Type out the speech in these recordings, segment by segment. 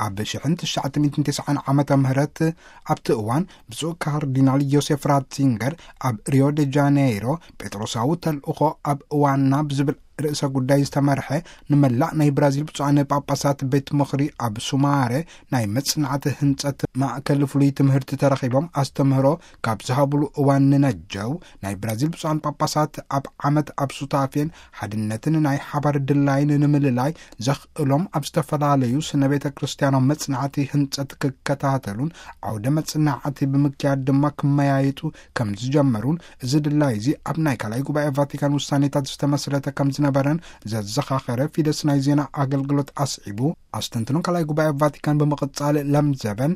ኣብ ሽሕን ትሽዓተ ሚእትን ተስዓን ዓመተ ምህረት ኣብቲ እዋን ብፁዕ ካርዲናል ዮሴፍ ራትዚንገር ኣብ ሪዮ ደ ጃኔይሮ ጴጥሮሳዊ ተልእኾ ኣብ እዋንና ብዝብል ርእሰ ጉዳይ ዝተመርሐ ንመላእ ናይ ብራዚል ብፁዓን ጳጳሳት ቤት ምኽሪ ኣብ ሱማሬ ናይ መጽናዕቲ ህንጸት ማእከል ፍሉይ ትምህርቲ ተረኺቦም ኣስተምህሮ ካብ ዝሃብሉ እዋን ንነጀው ናይ ብራዚል ብፁዓን ጳጳሳት ኣብ ዓመት ኣብ ሱታፌን ሓድነትን ናይ ሓባር ድላይን ንምልላይ ዘኽእሎም ኣብ ዝተፈላለዩ ስነ ቤተ ክርስቲያናዊ መጽናዕቲ ህንጸት ክከታተሉን ዓውደ መጽናዕቲ ብምክያድ ድማ ክመያየጡ ከም ዝጀመሩን እዚ ድላይ እዚ ኣብ ናይ ካልኣይ ጉባኤ ቫቲካን ውሳኔታት ዝተመስረተ ከም ዝነበረን ዘዘኻኸረ ፊደስ ናይ ዜና ኣገልግሎት ኣስዒቡ ኣስተንትኖ ካልኣይ ጉባኤ ቫቲካን ብምቕጻል ለምዘበን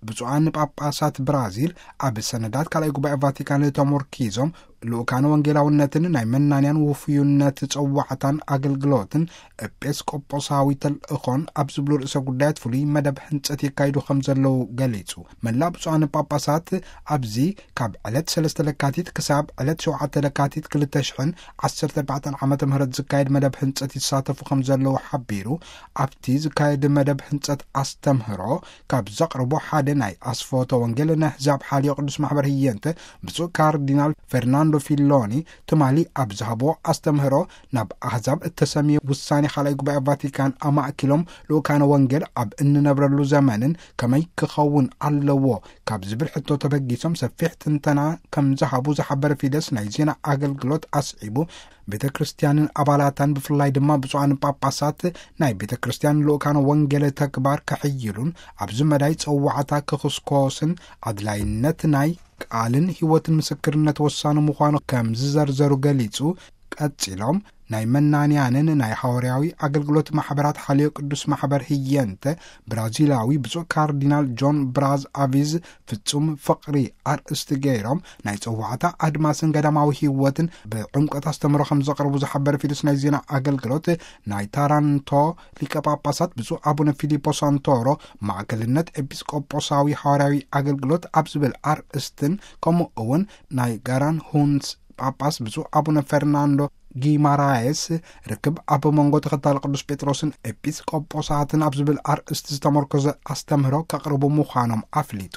ብፁዓን ጳጳሳት ብራዚል ኣብ ሰነዳት ካልኣይ ጉባኤ ቫቲካን ተሞርኪዞም ልኡካን ወንጌላውነትን ናይ መናንያን ውፍዩነት ጸዋዕታን ኣገልግሎትን ኤጲስቆጶሳዊ ተልእኾን ኣብ ዝብሉ ርእሰ ጉዳያት ፍሉይ መደብ ህንጸት የካይዱ ከም ዘለዉ ገሊጹ። መላእ ብፁዓን ጳጳሳት ኣብዚ ካብ ዕለት ሰለስተ ለካቲት ክሳብ ዕለት ሸውዓተ ለካቲት ክልተ ሽሕን ዓሰርተ ኣርባዕተን ዓመተ ምህረት ዝካየድ መደብ ህንጸት ይሳተፉ ከም ዘለዉ ሓቢሩ፣ ኣብቲ ዝካየድ መደብ ህንጸት ኣስተምህሮ ካብ ዘቕርቡ ሓደ ናይ ኣስፎቶ ወንጌል ነህዛብ ሓልዮ ቅዱስ ማሕበር ህየንተ ብፁዕ ካርዲናል ፈርናንዶ ፊሎኒ ትማሊ ኣብ ዝሃብዎ ኣስተምህሮ ናብ ኣህዛብ እተሰምየ ውሳኔ ካልኣይ ጉባኤ ቫቲካን ኣማእኪሎም ልኡካነ ወንጌል ኣብ እንነብረሉ ዘመንን ከመይ ክኸውን ኣለዎ ካብ ዝብል ሕቶ ተበጊሶም ሰፊሕ ትንተና ከም ዝሃቡ ዝሓበረ ፊደስ ናይ ዜና ኣገልግሎት ኣስዒቡ ቤተ ክርስቲያንን ኣባላታን ብፍላይ ድማ ብፁዓን ጳጳሳት ናይ ቤተ ክርስቲያን ልኡካነ ወንጌል ተግባር ከሕይሉን ኣብዚ መዳይ ጸዋዕታ ክኽስኮስን ኣድላይነት ናይ ቃልን ህይወትን ምስክርነት ወሳኒ ምዃኑ ከም ዝዘርዘሩ ገሊጹ ቀጺሎም ናይ መናንያንን ናይ ሓዋርያዊ ኣገልግሎት ማሕበራት ሓልዮ ቅዱስ ማሕበር ህየንተ ብራዚላዊ ብፁዕ ካርዲናል ጆን ብራዝ ኣቪዝ ፍጹም ፍቕሪ ኣርእስቲ ገይሮም ናይ ጸዋዕታ ኣድማስን ገዳማዊ ህይወትን ብዕምቆት ኣስተምህሮ ከም ዘቕርቡ ዝሓበረ ፊደስ ናይ ዜና ኣገልግሎት ናይ ታራንቶ ሊቀ ጳጳሳት ብፁዕ ኣቡነ ፊሊፖ ሳንቶሮ ማእከልነት ኤጲስቆጶሳዊ ሓዋርያዊ ኣገልግሎት ኣብ ዝብል ኣርእስትን ከምኡ እውን ናይ ጋራን ሁንስ ጳጳስ ብፁዕ ኣቡነ ፈርናንዶ ጊማራየስ ርክብ ኣብ መንጎ ተኸታሊ ቅዱስ ጴጥሮስን ኤጲስቆጶሳትን ኣብ ዝብል ኣርእስቲ ዝተመርኮዘ ኣስተምህሮ ከቕርቡ ምዃኖም ኣፍሊጡ።